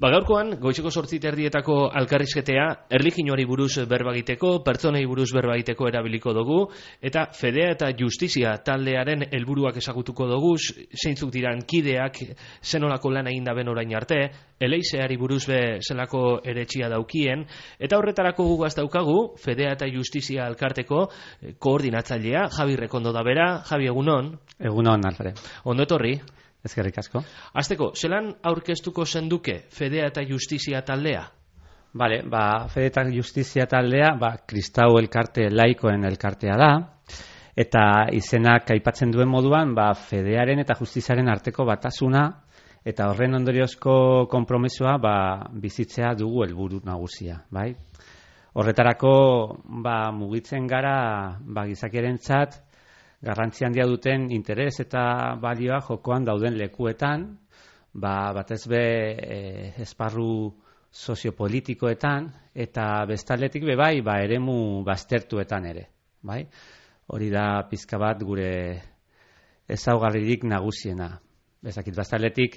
Gaurkoan, goizeko 8:30 alkarrizketea, erlijioari buruz berba egiteko, pertsonei buruz berba egiteko erabiliko dugu, eta Fedea eta Justizia taldearen helburuak ezagutuko dugu, zeintzuk diran kideak, zenolako lan egin daben orain arte, eleizeari buruz zelako eretxia daukien, eta horretarako gugaz daukagu, Fedea eta Justizia elkarteko koordinatzailea, Javi Rekondo da bera. Javi, egunon? Egunon, Alfred. Ondo etorri? Ezkerrik asko. Hasteko, zelan aurkeztuko zenduke Fedea eta Justizia taldea? Bale, Fedea eta Justizia taldea, kristau elkarte laikoen elkartea da, eta izenak aipatzen duen moduan, Fedearen eta Justiziaren arteko batasuna, eta horren ondoriozko konpromisoa bizitzea dugu helburu nagusia, bai? Horretarako, mugitzen gara, gizakiarentzat, garrantzi handia duten interes eta balioa jokoan dauden lekuetan, batez be esparru soziopolitikoetan eta bestaldetik eremu baztertuetan ere, bai? Hori da pizka bat gure ezaugarririk nagusiena. Bezakit baztaldetik,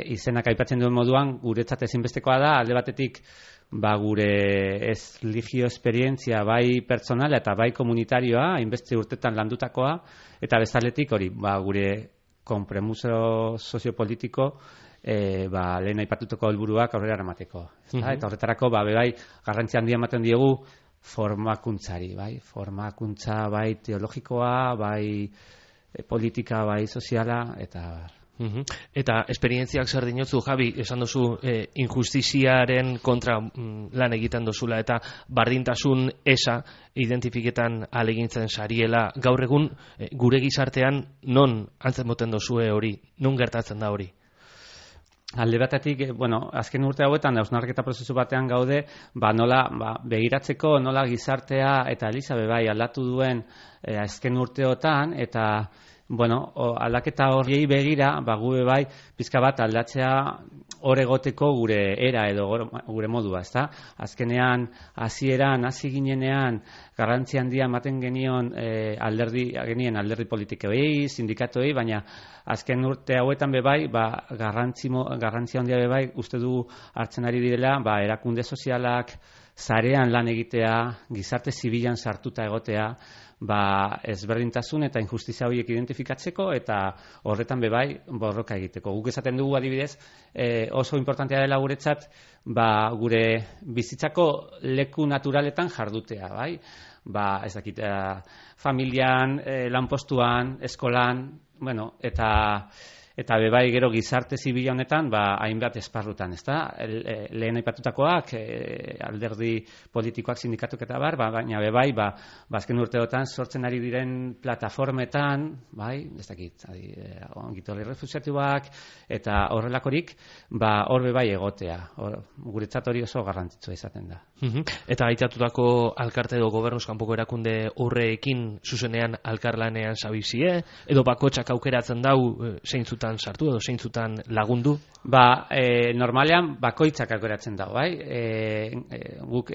izenak aipatzen duen moduan, guretzat ezinbestekoa da, alde batetik gure erlijio esperientzia bai pertsonala eta bai komunitarioa, hainbeste urtetan landutakoa, eta bezaletik hori, gure konpromiso soziopolitiko, lehen aipatutako helburuak aurrera eramateko. Eta horretarako, bai garrantzi handia ematen diegu formakuntzari, bai? Formakuntza bai teologikoa, bai politika, bai soziala, eta... Eta esperientziak zer dinotzu, Javi, esan duzu injustiziaren kontra lan egiten dozula eta bardintasun eza identifiketan alegintzen sariela. Gaur egun gure gizartean non antzen boten dozue hori, non gertatzen da hori? Alde batetik, azken urte hauetan hausnarketa prozesu batean gaude, nola begiratzeko, nola gizartea eta Eliza bai aldatu duen azken urteotan, eta aldaketa horiei begira, gube bai, pizka bat aldatzea hor egoteko gure era edo gure modua, ezta? Azkenean, hasi ginenean, garrantzi handia ematen genien alderdi politikoei, sindikatuei, baina azken urte hauetan bai, garrantzi handia bai, uste du hartzen ari direla, erakunde sozialak, sarean lan egitea, gizarte zibilan sartuta egotea, ezberdintasun eta injustizia horiek identifikatzeko eta horretan bai borroka egiteko. Guk esaten dugu adibidez, oso importantea dela guretzat, gure bizitzako leku naturaletan jardutea, bai? Ez dakit, familian, lanpostuan, eskolan, eta bai gero gizarte zibila honetan, hainbat esparrutan, ezta? Lehen aipatutakoak, alderdi politikoak, sindikatuk eta baina bai, azken urteotan sortzen ari diren plataformetan, bai, ez dakit, ongitorri refusiatuak, eta horrelakorik, hor bai egotea. Guretzat hori oso garrantzitsua izaten da. Eta aitatutako alkarte edo gobernuz kanpoko erakunde horrekin zuzenean alkarlanean zabizie, edo bakotxak aukeratzen dau zeintzutan sartu edo zeintzutan lagundu? Normalean bakoitzak aukeratzen dago, bai? Guk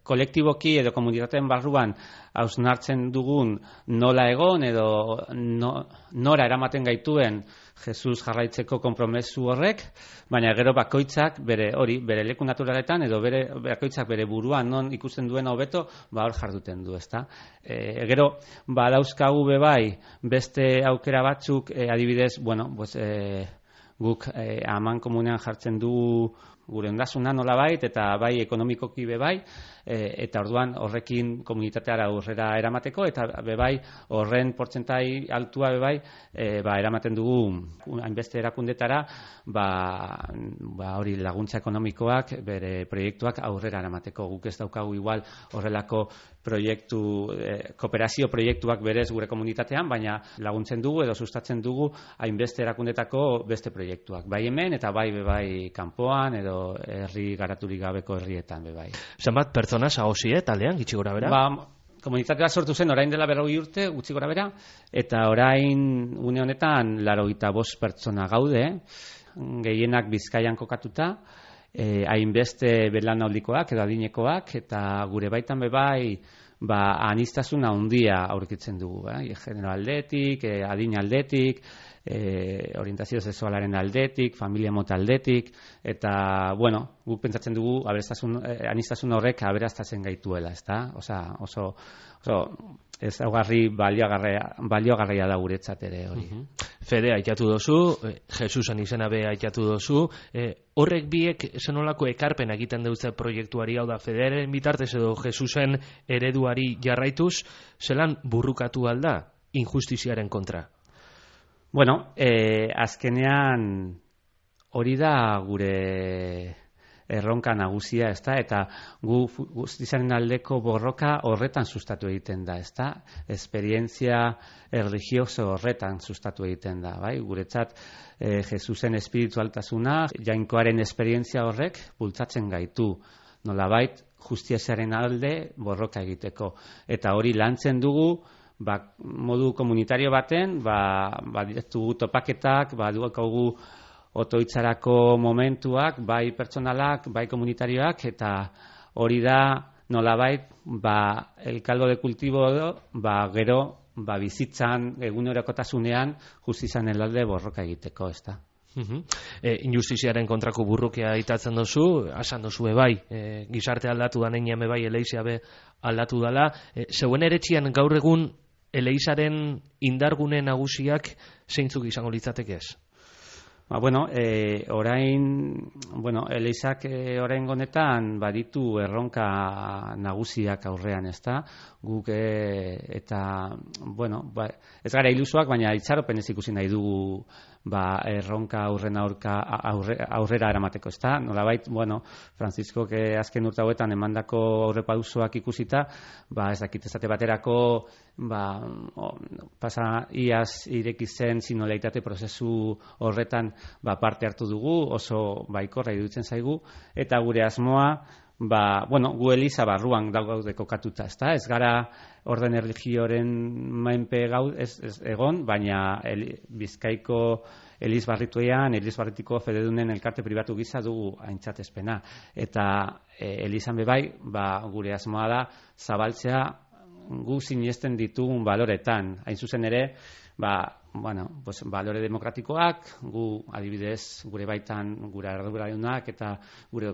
kolektiboki edo komunitateen barruan hausnartzen dugun nola egon edo nora eramaten gaituen Jesus jarraitzeko konpromesu horrek, baina gero bakoitzak bere leku naturaletan edo bakoitzak bere buruan non ikusten duen hobeto, hor jarduten du, ezta? Gero, dauzkagu bai beste aukera batzuk, adibidez, guk aman komunean jartzen du gure ondasuna nolabait eta bai ekonomikoki bai, eta orduan horrekin komunitateara aurrera eramateko eta bai horren portzentai altua bai eramaten dugu hainbeste erakundetara hori laguntza ekonomikoak bere proiektuak aurrera eramateko. Guk ez daukagu igual horrelako kooperazio proiektuak berez gure komunitatean, baina laguntzen dugu edo sustatzen dugu hainbeste erakundetako beste proiektuak. Bai hemen eta bai kanpoan edo herri garaturik gabeko herrietan bai. Zenbat pertsona zagozie taldean, gitxi gora bera? Komunitatea sortu zen orain dela 40 urte, gutxi gora bera, eta orain une honetan 85 pertsona gaude, gehienak Bizkaian kokatuta, hainbeste belaunaldikoak edo adinekoak, eta gure baitan bai aniztasuna handia aurkitzen dugu, genero aldetik, adin aldetik, orientazio sexualaren aldetik, familia mota aldetik, eta, bueno, guk pentsatzen dugu aniztasun horrek aberastastzen gaituela, ezta? Oso ezaugarri baliogarria da guretzat ere hori. Fede aitatu dozu, Jesusen izena be aitatu dozu, horrek biek zenolako ekarpen egiten dutze proiektuari, hau da, Fedearen bitartez edo Jesusen ereduari jarraituz, zelan burrukatu alda injustiziaren kontra? Bueno, azkenean hori da gure erronka nagusia, ezta? Eta gu justiziaren aldeko borroka horretan sustatu egiten da, ezta? Esperientzia religioso horretan sustatu egiten da, bai? Guretzat Jesusen espiritualtasuna, jainkoaren esperientzia horrek bultzatzen gaitu, nolabait justiziaren alde borroka egiteko. Eta hori lantzen dugu, modu komunitario baten, ditugu topaketak, dugu otoitzarako momentuak, bai pertsonalak, bai komunitarioak, eta hori da nolabait, el caldo de cultivo gero, bizitzan, egunerokotasunean, justizian alde borroka egiteko, ezta? Injustiziaren kontrako burrukia aitatzen dozu, asan dozu bai, gizarte aldatu da neinean bai, eleizia be aldatu dala. Zeuen eretxian gaur egun eleizaren indargune nagusiak zeintzuk izango litzateke ez? Eleizak orain honetan baditu erronka nagusiak aurrean, ezta? Guk ez gara ilusoak, baina itxaropen ez ikusi nahi dugu erronka aurrera eramateko, ezta? Nolabait, Francisco azken urte hauetan emandako aurrepausoak ikusita, ez dakit esate baterako pasa iaz ireki zen sinoleitate prozesu horretan parte hartu dugu, oso baikorra iruditzen zaigu, eta gure asmoa gu eliza barruan daude kokatuta, ezta? Ez gara orden erligioren menpe egon, baina Bizkaiko Eliz Barritiko fededunen elkarte pribatu gisa dugu aintzatespena. Eta Elizan bebai, gure asmoa da zabaltzea gu sinesten ditugun baloretan. Hain zuzen ere, balore demokratikoak, gu adibidez gure baitan gure arduradunak eta gure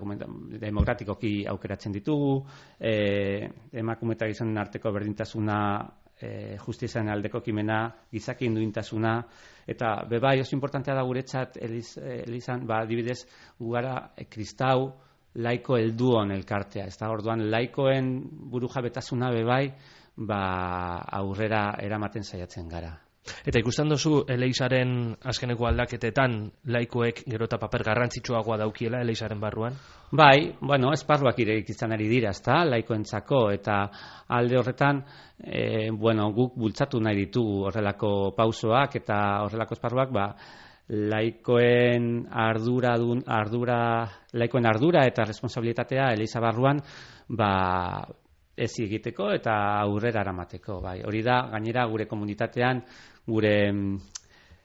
demokratikoki aukeratzen ditugu, emakume eta gizonen arteko berdintasuna, justiziaren aldeko kimena, gizakien duintasuna, eta bebai oso importantea da guretzat Elizan, adibidez gu gara kristau laiko helduon elkartea, ez da, orduan laikoen burujabetasuna bebai aurrera eramaten saiatzen gara. Eta ikusten duzu eleizaren azkeneko aldaketetan laikoek gero eta paper garrantzitsuagoa daukiela eleizaren barruan? Bai, esparruak irekitzen ari dira, ezta, laikoentzako, eta alde horretan guk bultzatu nahi ditugu horrelako pausoak eta horrelako esparruak, laikoen ardura eta responsabilitatea eleiza barruan ez egiteko eta aurrera eramateko. Hori da, gainera gure komunitatean, gure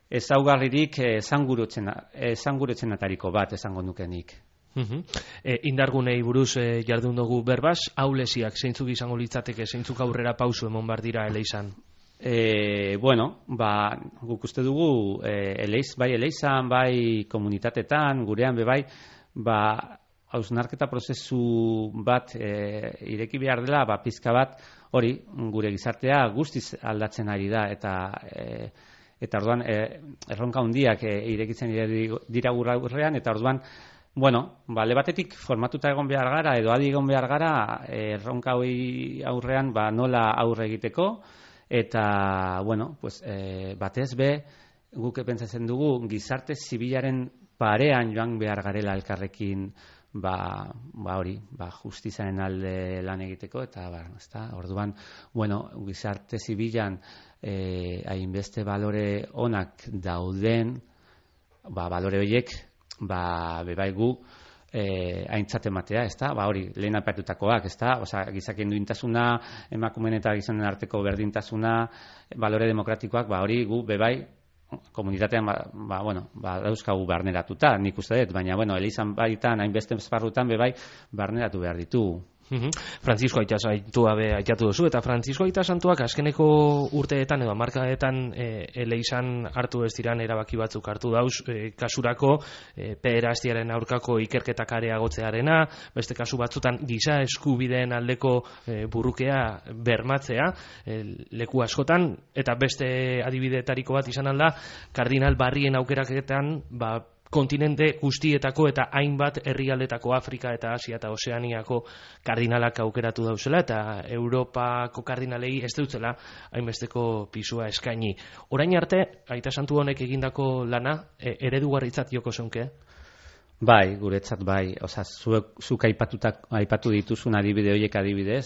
ezaugarririk esangurutzenatariko bat esango nukenik. Indargunei buruz jardun dugu berbaz, aulesiak zeintzuk izango litzateke, zeintzuk aurrera pausu emon bar dira eleizan? Guk uste dugu eleizan, bai komunitatetan, gurean bebai, hausnarketa prozesu bat ireki behar dela, pizka bat hori gure gizartea guztiz aldatzen ari da, eta orduan erronka handiak irekitzen dira aurrean, eta orduan alde batetik formatuta egon behar gara, edo adi egon behar gara erronka hori aurrean nola aurre egiteko, eta batez be guk pentsatzen dugu gizarte zibilaren parean joan behar garela elkarrekin justiziaren alde lan egiteko, eta orduan, gizarte zibilan hainbeste balore onak dauden, balore horiek, bebai gu aintzat ematea, hori, lehen aipatutakoak, gizakien duintasuna, emakumeen eta gizonen arteko berdintasuna, balore demokratikoak, hori gu bebai komunitatean dauzkagu barneratuta, nik uste dut, baina elizan baitan, hainbeste esparrutan bebai barneratu behar ditugu. Francisco Aita Santua be aitatu duzu, eta Francisco Aita Santuak azkeneko urteetan edo hamarkadetan eleizan hartu ez diran erabaki batzuk hartu dauz, kasurako pederastiaren aurkako ikerketak areagotzearena, beste kasu batzutan giza eskubideen aldeko burrukea bermatzea leku askotan, eta beste adibideetariko bat izan alda, kardinal Barrien aukeraketan kontinente guztietako eta hainbat herrialdetako Afrika eta Asia eta Ozeaniako kardinalak aukeratu dauzela, eta Europako kardinalei ez dutzela hainbesteko pisua eskaini. Orain arte, Aita Santu honek egindako lana eredugarritzat joko zeunke? Bai, guretzat bai. Osa, zuk aipatu dituzun adibide horiek adibidez,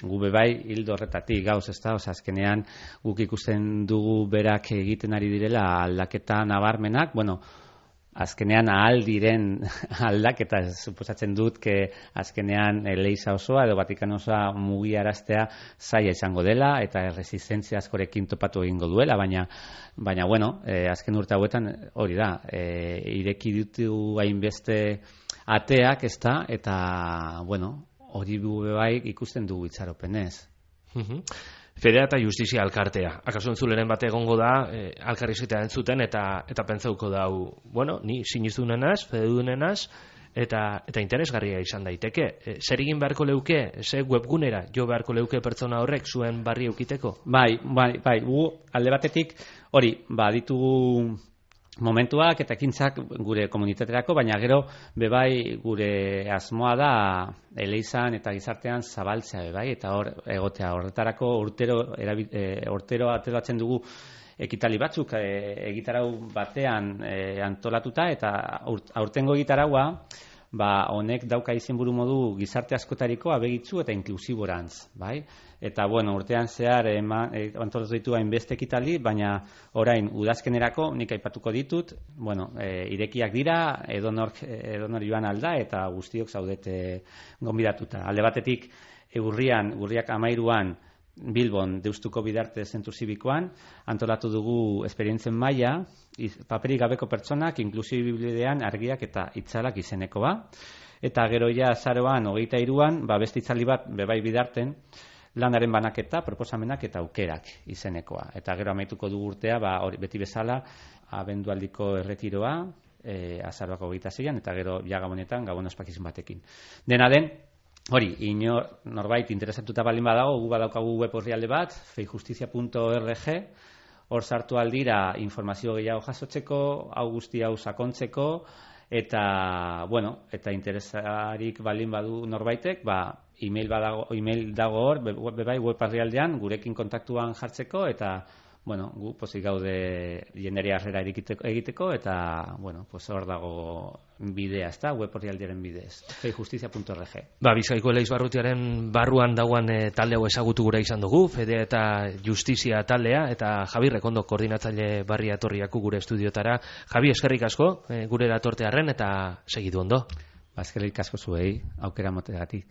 gube bai hildo horretatik gauz, ezta? Osa, azkenean guk ikusten dugu berak egiten ari direla aldaketa nabarmenak, azkenean ahal diren aldaketa, suposatzen dut, azkenean Leiza osoa edo Vatikano osoa mugiaraztea zaila izango dela eta resistentzia askorekin topatu egingo duela, baina azken urte hauetan hori da, ireki ditu hainbeste ateak, ezta, eta hori bai ikusten dugu itxaropenez. Fedea eta Justizia Alkartea. Akaso entzuleren bate egongo da, alkarrizketea entzuten, eta pentsauko dau, ni sinistudunenaz, fededunenaz, eta interesgarria izan daiteke. Zer egin beharko leuke, ze webgunera jo beharko leuke pertsona horrek zuen barri eukiteko? Bai, gu alde batetik, hori, ditugu momentuak eta ekintzak gure komunitaterako, baina gero bebai gure asmoa da eleizan eta gizartean zabaltzea bebai, eta hor egotea horretarako urtero ateratzen dugu ekitali batzuk egitarau batean antolatuta, eta aurtengo egitaraua honek dauka izenburu modu gizarte askotariko abegitzu eta inklusiborantz, bai? Eta urtean zehar antolatu ditu hainbeste ekitali, baina orain udazkenerako nik aipatuko ditut, irekiak dira, edonor joan alda eta guztiok zaudete gonbidatuta. Alde batetik urriak 13an Bilbon Deustuko Bidarte zentru zibikoan antolatu dugu esperientzen maila, paperik gabeko pertsonak inklusibibidean argiak eta itzalak izenekoa, eta gero azaroan 23an beste itzali bat bebai Bidarten lanaren banaketa, proposamenak eta aukerak izenekoa. Eta gero amaituko dugu urtea, beti bezala, abendualdiko erretiroa, azaroak 26an, eta gero Gabonetan, Gabon ospakizun batekin. Dena den, hori, norbait interesatuta baldin badago, gu badaukagu web orrialde bat, feijustizia.org, hor sartu aldira informazio gehiago jasotzeko, hau guzti hau sakontzeko, eta interesarik baldin badu norbaitek, email dago hor, bebai web orrialdean, gurekin kontaktuan jartzeko, eta gu pozik gaude jenderia harrera egiteko, eta hor dago bidea, ezta, web orrialdearen bidez, feijustizia.org. Bizkaiko Eleiz Barrutiaren barruan dagoen talde hau ezagutu gura izan dugu, Fedea eta Justizia taldea, eta Javi Rekondo koordinatzaile barria etorriako gure estudiotara. Javi, eskerrik asko gure datortearren, eta segidu ondo. Eskerrik asko zuei, aukera motegatik.